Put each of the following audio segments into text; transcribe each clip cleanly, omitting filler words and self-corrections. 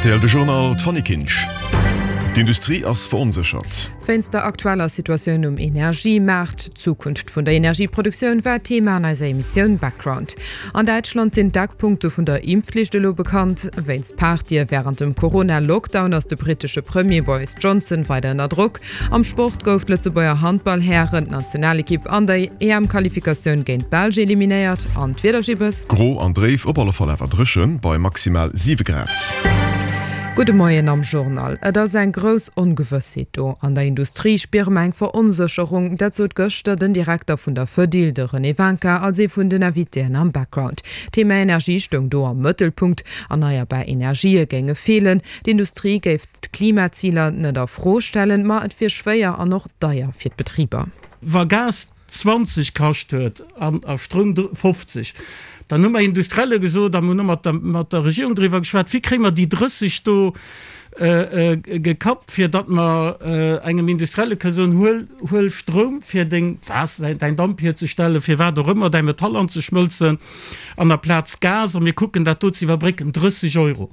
Rtl De Journal, d'Fanny Kinsch. D'Industrie ass veronséchert. Wéinst der aktueller Situatioun um Energiemaart, d'Zukunft vun der Energieproduktioun war Thema an eiser Emissioun Background. An Däitschland sinn d'Eckpunkte vun der Impfflicht elo bekannt. Wéinst Partye wärend dem Corona-Lockdown ass de brittesche Premier Boris Johnson weider ënner Drock. Am Sport gouf d'Lëtzebuerger Handball-Hären-Nationalekipp an der EM-Qualifikatioun géint d'Belsch eliminéiert. An d'Wiedergibbes? Gro an dréif, op alle Fall awer dréchen, bei maximal 7 Grad. Gudde Moien am Journal. Et ass eng grouss Ongewëssheet do. An der Industrie spiere mer eng Veronsécherung. Dat sot gëschter den Direkter vun der Fedil, de René Wincker, als ee vun den Invitéen am Background. D'Thema Energie stoung do am Mëttelpunkt. Erneierbar Energië géinge feelen. D'Industrie géif d'Klimaziler net a Fro stellen, ma et wier schwéier an och deier fir d'Betriber. Wa Gas 20 kascht huet an a Stroum 50, dann hu mer Industrielle gesot a mir hunn och mat der, mat der Regierung driwwer geschwat, wéi kréie mer déi 30 do gekappt, fir datt mer engem Industrielle kënne soen, huel, huel Stroum fir deng, was, däin Damp hierzestellen, fir wat och ëmmer, däi Metall anzeschmëlzen, an aplaz Gas, a mir kucken dat do ze iwwerbrécken, 30 Euro.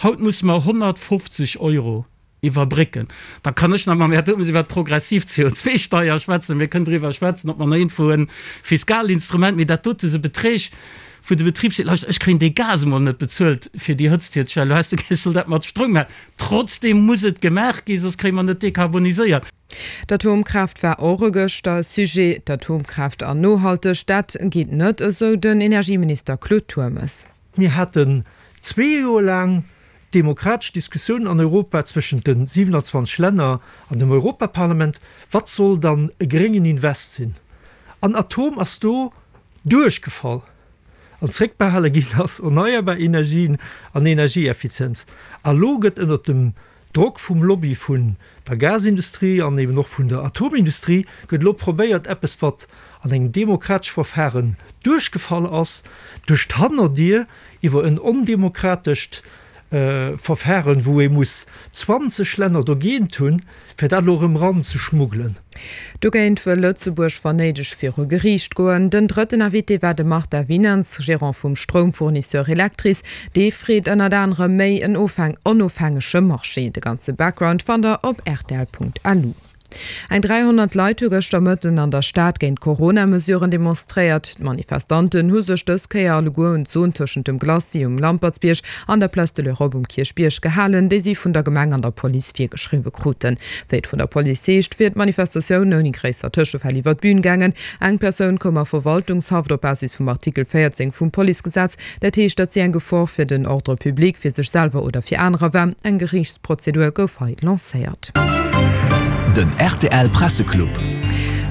Haut musse mer 150 Euro iwwerbrécken. Da kann ech nach mam Här Turmes iwwert d'progressiv CO2-Steier schwätzen. Mir kënnen driwwer schwätzen, ob mer nach iergendwou e Fiskalinstrument, mee dat dote sou Beträg, wou de Betrib seet, Lauschtert, ech kréien dee Gas emol net bezuelt, fir déi Hëtzt hierzestellen, elo häss de gär, ech soll dat mat Stroum maachen. Trotzdeem muss et gemaach ginn, soss kréie mer net dekarboniséiert. D'Atomkraaft war och e gëschter e Sujet. D'Atomkraaft an nohalteg, dat geet net, esou den Energieminister Claude Turmes. Mir haten zwee Joer laang demokratesch Diskussioun an Europa zwëschent de 27 Länner an dem Europaparlament, wat soll dann e gréngen Invest sinn? An Atom ass do duerchgefall an zréckbehale ginn ass erneierbar Energien an Energieeffizienz. A lo gëtt ënnert dem Drock vum Lobby vun der Gasindustrie an eben och vun der Atomindustrie gëtt elo probéiert, eppes wat an engem demokratesche Verfahren duerchgefall ass, duerch d'Hannerdier iwwer en ondemokratescht Verfahren, wou ee muss 20 Länner dogéint hunn, fir dat elo erëm eranzeschmuggelen. Dogéint wëll Lëtzebuerg wann néideg viru Geriicht goen. Den drëtten Invité war de Martin Winands, Gerant vum Stroumfournisseur Electris. Dee freet ënnert anerem méi en onofhängege Marché. De ganze Background fannt der op rtl.lu. Eng 300 Leit hu gëschter Mëtten an der Stad géint d'Corona-Mesuren demonstréiert. D'Manifestanten hu sech dës Kéier alleguer un d'Zon tëschent dem Glacis um Lampertsbierg an der Place de l'Europe um Kierchbierg gehalen, déi si vun der Gemeng an der Police virgeschriwwe kruten. Wéi et vun der Police heescht, wier d'Manifestatioun ouni gréisser Tëschefäll iwwer d'Bün gaangen. Eng Persoun koum a Verwaltungshaft op Basis vum Artikel 14 vum Policegesetz. Dat heescht, datt si eng Gefor fir den Ordre public, fir sech selwer oder fir anerer war. Eng Geriichtsprozedur gouf hei lancéiert. Den rtl Presseclub.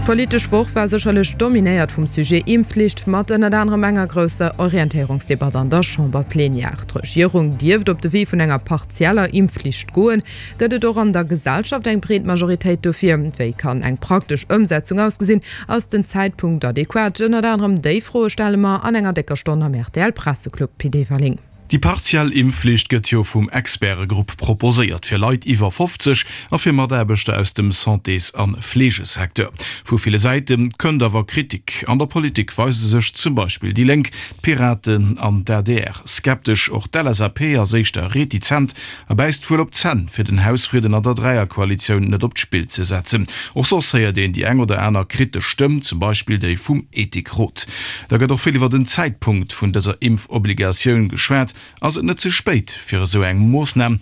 D'politesch Woch war sécherlech dominéiert vum Sujet Impfflicht, mat ënnert anerem enger grousser Orientéierungsdebatt an der Chamberplenière. D'Regierung dierft op de Wee vun enger partieller Impfflicht goen. Gëtt et och an der Gesellschaft eng breet Majoritéit dofir? Wéi kann eng praktesch Ëmsetzung ausgesinn? Ass den Zäitpunkt adequat? Ënnert anerem déi Froe stelle mer an enger décker Stonn am rtl Presseclub. Pit Everling. Déi partiell Impfflicht gëtt jo vum Expertegrupp proposéiert, fir Leit iwwer 50 a fir Mataarbechter aus dem Santés a Fleegesecteur. Vu ville Säite kënnt awer Kritik. An der Politik weise sech zum Beispill déi Lénk, d'Piraten an d'ADR skeptesch. Och d'LSAP ass éischter retizent A bäisst wuel op d'Zänn, fir den Hausfridden an der Dräierkoalitioun net op d'Spill ze setzen. Och soss héiert een déi eng oder aner kritesch Stëmm, zum Beispill déi vum Ethikrot. Da gëtt och vill iwwer den Zäitpunkt vun dëser Impfobligatioun geschwat. Ass et net ze spéit fir esou eng Moossnam?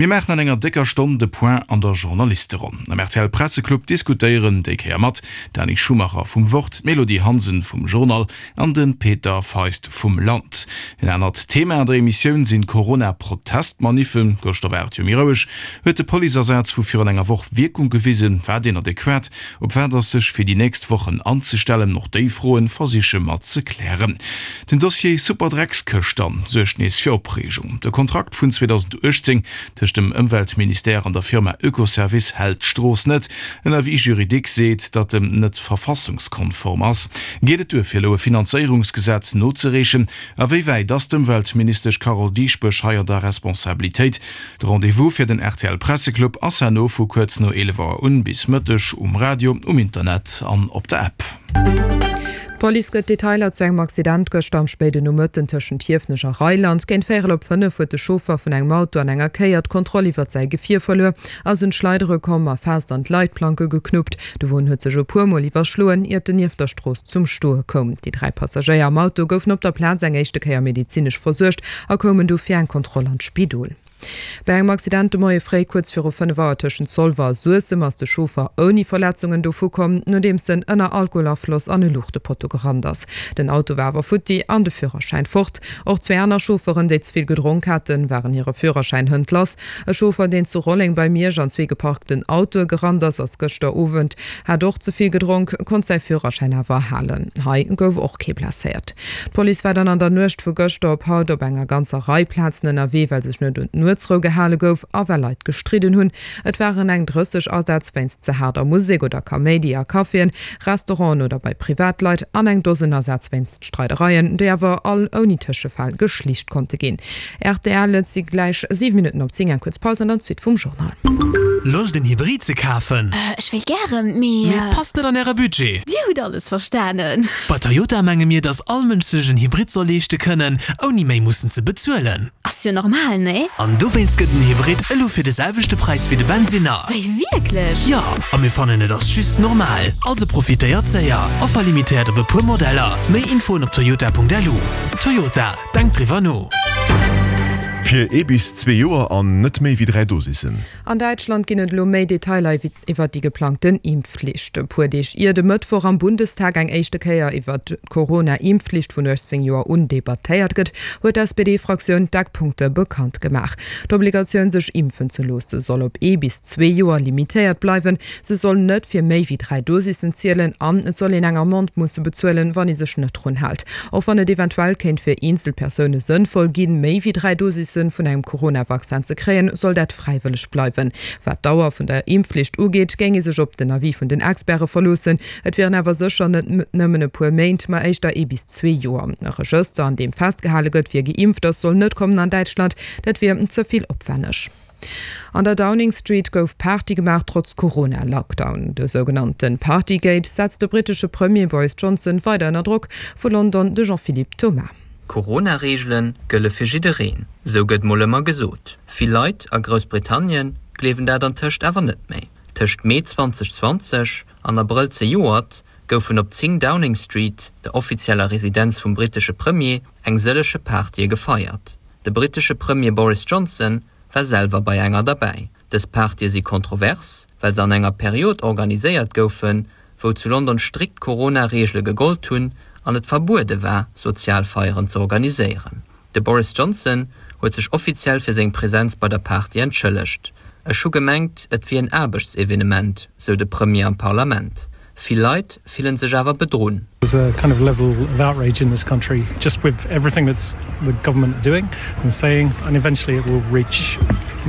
Mir maachen an enger décker Stonn de Point an der Journalisteronn. Am rtl Presseclub diskutéieren déi Kéier mat, d'Dani Schumacher vum Wort, d'Mélodie Hansen vum Journal An de Peter Feist vum Land. En anert Thema an der Emissioun sinn d'Corona-Protestmaniffen. Gëschter war et jo méi roueg. Huet de Policeasaz vu virun enger Woch Wierkung gewisen? War deen adequat? Op wat ass sech fir déi nächst Wochen anzestellen? Och déi Froen versiche mer ze klären. Den Dossier Superdreckskëscht dann suergt nees fir Opreegung. De Kontrakt vun 2018 Tëscht dem Ëmweltministère an der Firma Oekoservice hält d'Strooss net. En Avis juridique seet, datt en net verfassungskonform ass. Geet et duer fir elo e Finanzéierungsgesetz nozereechen? A wéi wäit ass d'Ëmweltministesch Carole Dieschbourg hei an der Responsabilitéit? De Rendez-vous fir den rtl Presseclub ass herno vu kuerz no 11 Auer un bis Mëtteg um Radio, um Internet an op der App. D'Police gëtt Detailer zu engem Accident gëschter am spéiden Nomëtten tëschent Hiefenech a Reiland. Accident. Géint véierel op 5 huet de Chauffer vun engem Auto an enger Kéier d'Kontroll iwwert säi Gefier verluer, ass un d'Schleidere komm a fest an d'Leitplanke geknuppt. De Won huet sech e puer Mol iwwerschloen, iert en nieft der Strooss zum Stoe koum. Déi 3 Passagéier am Auto goufen op der Plaz eng éischte Kéier medezinesch versuergt a koumen du fir eng Kontroll an d'Spidol. Bei engem Accident de Moie fréi kuerz viru 5 Auer tëschent Zolwer a Suessem ass de Chauffer ouni Verletzungen dovu komm, nodeems en ënner Alkoholafloss an e Luuchtepotto gerannt ass. Den Auto war awer futti an de Führerschäin fort. Och zwee aner Chaufferen, déi ze vill gedronk haten, waren hire Führerschäin hënt lass. E Chauffer, deen zu Rolleng bei Miersch an zwee geparkten Autoe gerannt ass, ass gëschter Owend, hat och ze vill gedronk, konnt säi Führerschäin awer halen. Hei gouf och kee blesséiert. D'Police war dann an der Nuecht vu gëschter op haut op enger ganzer Rei Plazen ënnerwee, well sech net un d'Nuetsrou gehale gouf a well Leit gestridden hunn. Et waren eng 30 Asätz wéinst ze haarder Musek oder Kaméidi a Caféen, Restauranten oder bei Privatleit an eng Dosen Asätz wéinst Streidereien, déi awer all ouni Tëschefäll geschlicht konnte ginn. Rtl, Et si gläich 7 Minutten op 10, eng kuerz Paus an dann d'Suite vum Journal. Loscht en Hybrid ze kafen? Ech wéilt gären, mee. Mee et passt net an äre Budget? Dir hutt alles verstanen. Bei Toyota menge mir, dass all Mënsch sech en Hybrid soll leeschte kënnen, ouni méi mussen ze bezuelen. Ass jo normal, nee? An dowéinst gëtt en Hybrid elo fir de selwechte Präis wéi de Bensinner. Wéi, wierklech? Jo, a mir fannen et ass just normal. Also profitéiert séier! Offer limitéiert op e puer Modeller. Méi Infoen op toyota.lu. Toyota, denkt driwwer no! Fir ee bis zwee Joer an net méi wéi 3 Dosissen. An Däitschland ginn et elo méi Detailer iwwer déi geplangten Impfflicht. E puer Deeg ier de Mëttwoch am Bundestag eng éischte Kéier iwwer d'Corona-Impfflicht vun 18 Joer un debattéiert gëtt, huet d'SPD-Fraktioun d'Eckpunkte bekannt gemaach. D'Obligatioun sech impfen ze loosse soll op ee bis zwee Joer limitéiert bleiwen, se soll net fir méi wéi 3 Dosissen zielen an et soll een eng Amende musse bezuelen, wann ee sech net drun hält. Och wann et eventuell kéint fir eenzel Persoune sënnvoll ginn, méi wéi 3 Dosisse vun engem Corona-Vaccin ze kréien, soll dat fräiwëlleg bleiwen. Wat d'Dauer vun der Impfflicht ugeet, géing ee sech op den Avis vun den Experte verloossen. Et wieren awer sécher net nëmmen e puer Méint, ma éischter ee bis zwee Joer. E Regëster, an deem festgehale gëtt, wie geimpft ass, soll net kommen an Däitschland. Dat wier ze vill opwänneg. An der Downing Street gouf Party gemaach, trotz Corona-Lockdown. De sougenannte Partygate setzt de brittesche Premier Boris Johnson weider ënner Drock. Vu London de Jean-Philippe Thomas. Corona-Reegele gëlle fir jiddereen, sou gëtt mol ëmmer gesot. Vill Leit a Groussbritannien gleewen dat antëscht awer net méi. Tëscht Mee 2020 an Abrëll zejoert goufen op 10 Downing Street, der offizieller Residenz vum brittesche Premier, eng sëllege Partye gefeiert. De brittesche Premier Boris Johnson war selwer bei enger derbäi. Dës Partye si kontrovers, well se an enger Period organiséiert goufen, wou zu London strikt Corona-Reegele gegollt hunn an et verbuede war, sozial Feieren ze organiséieren. De Boris Johnson huet sech offiziell fir seng Presenz bei der Party entschëllegt. Ech hu gemengt, et wier en Aarbechtsevenement, sou de Premier am Parlament. Vill Leit fillen sech awer bedrunn. There's a kind of level of outrage in this country just with everything that's the government are doing and saying and eventually it will reach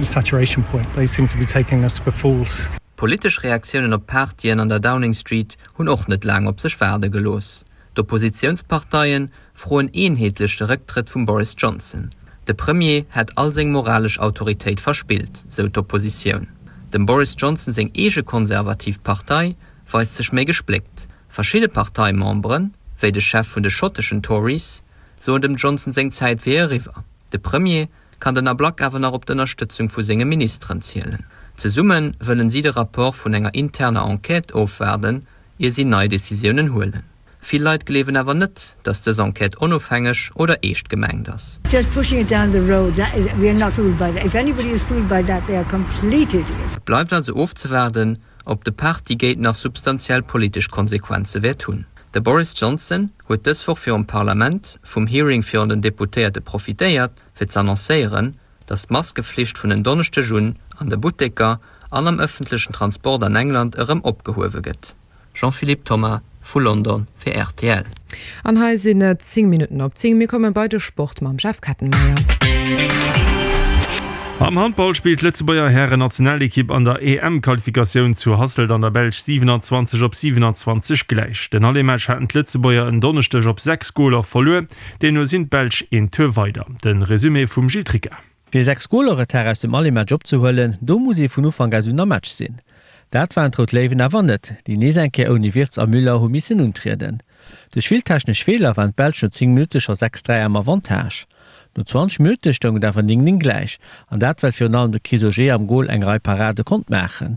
saturation point. They seem to be taking us for fools. Politesch Reaktiounen op d'Partyen an der Downing Street hunn och net laang op sech waarde gelooss. D'Oppositiounsparteie froen eenheetlech de Récktrëtt vum Boris Johnson. De Premier hätt all seng moralesch Autoritéit verspillt, sou d'Oppositioun. Dem Boris Johnson seng eege konservativ Partei weist sech méi gespléckt. Verschidde Parteimemberen, wéi de Chef vun de schotteschen Tories, soen dem Johnson seng Zäit wier eriwwer. De Premier kann den Ablack awer nach op d'Ënnerstëtzung vu senge Ministeren zielen. Zesumme wëllen si de Rapport vun enger interner Enquête ofwaarden, ier si nei Decisiounen huelen. Vill Leit gleewen awer net, datt dës Enquête onofhängeg oder eescht gemengt ass. Just pushing it down the road, that is, we are not fooled by that. If anybody is fooled by that, they are complete idiots. Et bleift also ofzewaarden, ob de Partygate nach substantiell politesch Konsequenze wäert hunn. De Boris Johnson huet dës Woch virum Parlament vum Hearing virun den Deputéierte profitéiert, fir z'annoncéieren, datt d'Maskeflicht vun en Donneschdeg un an de Butteker an am ëffentlechen Transport an England erëm opgehuewe gëtt. Jean-Philippe Thomas vu London fir rtl. An hei sinn et 10 Minutten op 10. Mir komme bei de Sport mam Jeff Kettenmeyer. Am Handball spillt d'Lëtzebuerger Hären-Nationalekipp an der EM-Qualifikatioun zu Hasselt an der Belsch 27 op 27 gläich. Den Aller-Match haten d'Lëtzebuerger en Donneschdeg op 6 Goler verluer. Deemno sinn d'Belsch een Tour weider. De Resumé vum Gilles Tricca. Fir 6 Goler Retard aus dem Aller-Match opzehuelen, do muss ee vun Ufank aus un am Match sinn. Dat waren d'Rout Léiwen awer net, déi nees eng Kéier ouni Wirtz a Müller hu missen untrieden. Duerch vill technesch Feeler waren d'Belsch no 10 Minutte scho 6, 3 am Avantage. No 20 Minutte stoung et awer 9, 9 gläich, an dat well virun allem de Chris Auger am Gol eng Rei Parade konnt maachen.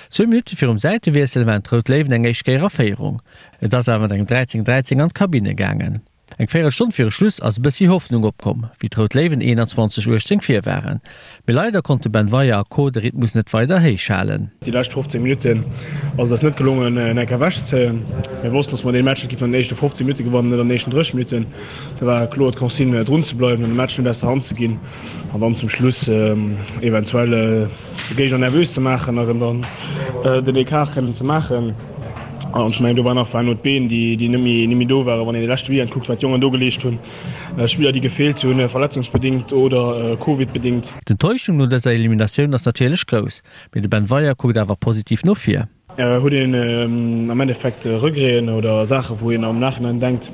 Zwou Minutte virum Säitewiessel waren d'Rout Léiwen eng éischt Kéier a Féierung. Et ass awer mat engem 13, 13 an d'Kabinne gaangen. Eng Véierelstonn viru Schluss ass e bëssi Hoffnung opkomm, wéi d'Rout Léiwen 21, 18 vir waren. Mee leider konnte Ben Weyer a Co. De Rhythmus net weider héich halen. Déi lescht 15 Minutten ass et eis net gelongen en Enk ewech ze zéien. Mir wossten, dass mer dee Match net géifen an den éischte 15 Minutte gewannen, net an den éischten 30 Minutten. Da war kloer d'Consigne drun ze bleiwen an de Match net aus der Hand ze ginn an dann zum Schluss eventuell de Géigner nervös ze maachen a rëm dann den Ecart kënnen ze maachen. An ech mengen do war nach waren no d'Been déi déi net méi net méi do waren. Wann een de leschte Weekend kuckt wat d'Jongen do geleescht hunn, Spiller déi gefeelt hunn, verletzungsbedingt oder Covid-bedingt. D'Enttäuschung no dëser Eliminatioun ass natierlech grouss, mee de Ben Weyer kuckt awer positiv no vir. Huet een am Endeffekt Regreten oder Saachen, wou een am Nachhinein denkt,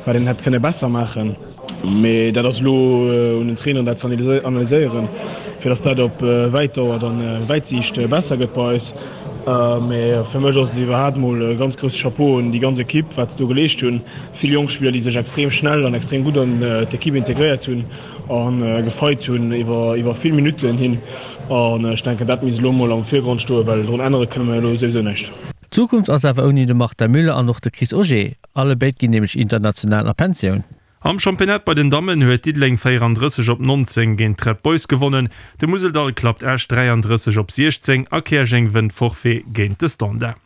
wat een hätt kënne besser maachen. Mee dat ass elo un den Traineren, dat ze analyséieren, fir datt dat op wäit Dauer dann, wäit Siicht besser gëtt bei eis. Mee fir mech ass et iwwerhaapt mol e ganz grousse Chapeau un déi ganz Ekipp, wat se do geleescht hunn. Vill jonk Spiller, déi sech extrem schnell an extrem gutt an d'Ekipp integréiert hunn a gefeit hunn iwwer vill Minutten hin. An ech denken, dat misst elo mol am Virgrond stoen, well drun ännere kënne mer elo souwisou näischt. D'Zukunft ass awer ouni de Martin Müller an och de Chris Auger. Alle béid ginn nämlech international a Pensioun. Am Championnat bei den Dammen huet Diddeleng 34 op 19 géint d'Red Boys gewonnen. De Museldall klappt Esch 33 op 16 a Käerjeng wënnt Forfait géint de Standard.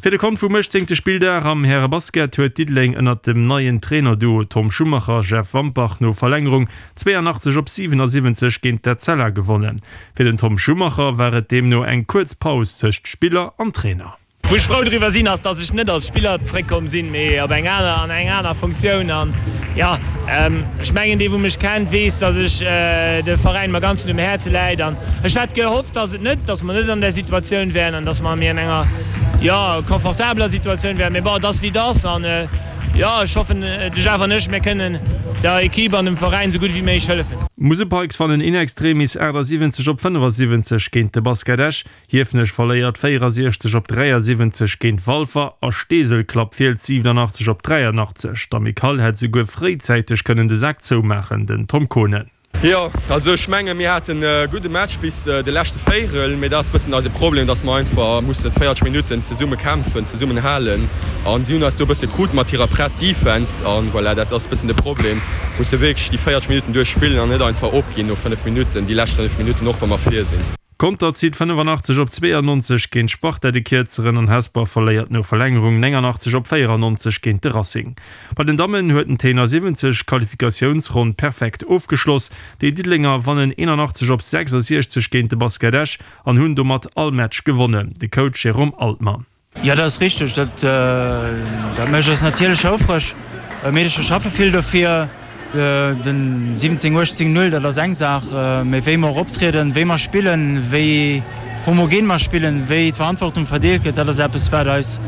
Fir de Kont vum 18. Spilldag am Härebasket huet Diddeleng ënnert dem neien Trainerduo Tom Schumacher, Jeff Wampach no Verlängerung 82 op 77 géint d'Etzella gewonnen. Fir den Tom Schumacher war et deemno eng kuerz Paus tëscht Spiller an Trainer. Wou ech frou driwwer sinn, ass, dass ech net als Spiller zréckkomm sinn, mee op eng aner, an eng aner Funktioun. An jo, ech mengen, dee wou mech kennt, weess, dass ech de Veräin mer ganz un um Häerze läit. An ech hätt gehofft, dass et net, dass mer net an där Situatioun wären an dass mer méi an enger, jo, confortabeler Situatioun wären. Mee bon, et ass wéi et ass. An jo, ech hoffen, de Jeff an ech, mir kënnen der Equipe an dem Veräin esou gutt wéi méiglech hëllefen. D'Musel Pikes wannen in extremis 78 op 75 géint de Basket Esch. Hiefenech verléiert 64 op 73 géint Walfer a Steesel klappt Fiels 87 op 83. D'Amicale hätt esouguer fréizäiteg kënnen de Sak zoumaachen, den Tom Konen. Jo, also ech menge mir haten e gudde Match bis de leschte Véierel, mee dat ass bëssen eise Problem, dass mer einfach mussen 40 Minutten zesumme kämpfen, zesummen halen an si hunn eis do e bësse krut mat hirer Press Defense an voilà, dat ass bëssen de Problem. Musse wierklech déi 40 Minutten duerch spillen an net einfach opginn no 5 Minutten, déi lescht 5 Minutten, och wa mer vir sinn. Conter zitt 85 op 92 géint Sparta de Kierzeren an Hesper verléiert no Verlängerung 89 op 94 géint de Racing. Bei den Dammen huet den Tenor 70 d'Qualifikatiounsronn perfekt ofgeschloss. Déi Diddelenger wannen 81 op 66 géint de Basket Esch an hunn domat all Match gewonnen. De Coach Jérôme Altmann. Jo, dat ass richteg. Dat dat mécht eis natierlech houfreg. Meedercher schaffe vill dofir. Den 17, 18, 0, dat ass eng Saach. Mee wéi mer och optrieden, wéi mer spillen, wéi homogen mer spillen, wéi d'Verantwortung verdeelt gëtt, dat ass eppes, wat eis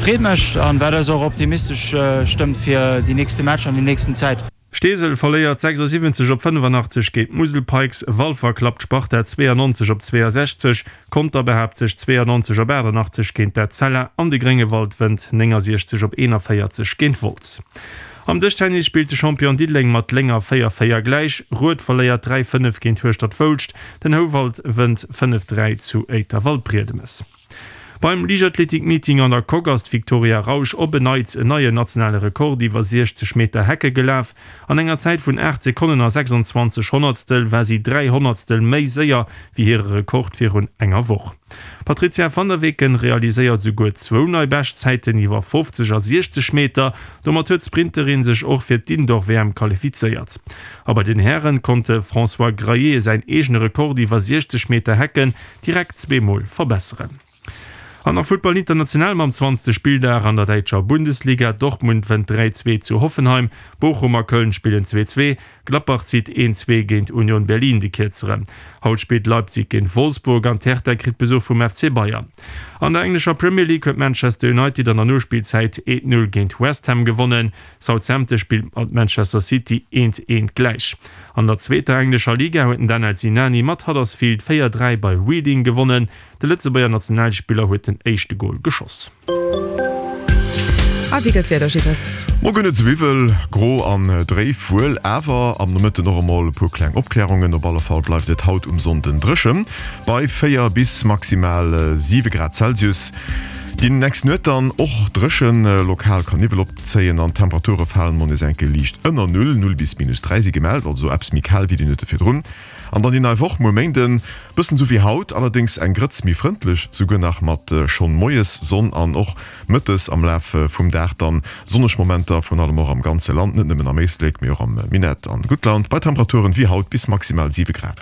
Freed mécht an wat eis och optimistesch stëmmt fir déi nächste Matcher an déi nächsten Zäit. Steesel verléiert 76 op 85 géint d'Musel Pikes, Walfer klappt d'Sparta 92 op 62, Conter behaapt sech 92 op 88 géint d'Etzella an de Gréngewald wënnt 69 op 41 géint Wolz. Am Dëschtennis spillt de Champion Diddeleng mat Lénger 4, 4 gläich, Rued verléiert 3, 5 géint Hueschtert-Foulscht, den Houwald wënnt 5, 3 zu Éiter-Waldbriedemes. Beim Liichtathletik-Meeting an der Coque ass d'Victoria Rausch op en Neits en neien nationale Rekord iwwer 60 Meter Hecke gelaf. An enger Zäit vun 8 Sekonnen a 26 Honnertstel war si 3 Honnertstel méi séier wéi hire Rekord virun enger Woch. D'Patrizia van der Weken realiséiert esouguer zwou nei Beschtzäiten iwwer 50 a 60 Meter. Domat huet d'Sprinterin sech och fir d'Indoor-WM qualifizéiert. A bei den Hären konnt de François Graillet säin eegene Rekord iwwer 60 Meter Hecken direkt zweemol verbesseren. An nach Futtball international mam 20. Spilldag an der däitscher Bundesliga. Dortmund wënnt 3, 2 zu Hoffenheim, Bochum a Köln spillen 2, 2, Gladbach zitt 1, 2 géint Union Berlin de Kierzeren. Haut spillt Leipzig géint Wolfsburg an d'Hertha kritt Besuch vum FC Bayern. An der englescher Premier League huet Manchester United an der Nospillzäit 1, 0 géint West Ham gewonnen. Southampton spillt mat Manchester City 1, 1 gläich. An der zweeter englescher Liga huet den Danel Sinani mat Huddersfield 4, 3 bei Reading gewonnen. De Lëtzebuerger Nationalspiller huet den éischte Gol geschoss. A wéi gëtt d'Wieder, Gilles? Muer gëtt et sou iwwel, gro an dréif, wuel awer am Nomëtten och emol e puer kleng Opklärungen. Op alle Fall bleift et haut um Sonnden dréchen, bei 4 bis maximal 7 Grad Celsius. Déi nächst Nuet dann och dréchen, lokal ka Niwwel opzéien an d'Temperature falen mol nees enke liicht ënner Null, 0 bis minus 3 si gemellt, also eppes méi kal wéi déi Nuete virdrun. An dann déi nei Woch, muer Méinden, bëssen sou wéi haut, allerdéngs eng Grëtz méi frëndlech, souguer nach mat schonn moies Sonn an och mëttes am Laf vum Dag dann sonneg Momenter, vrun allem och am ganze Land, net nëmmen am Éislek, mee och am Minett an Guttland, bei Temperaturen wéi haut bis maximal 7 Grad.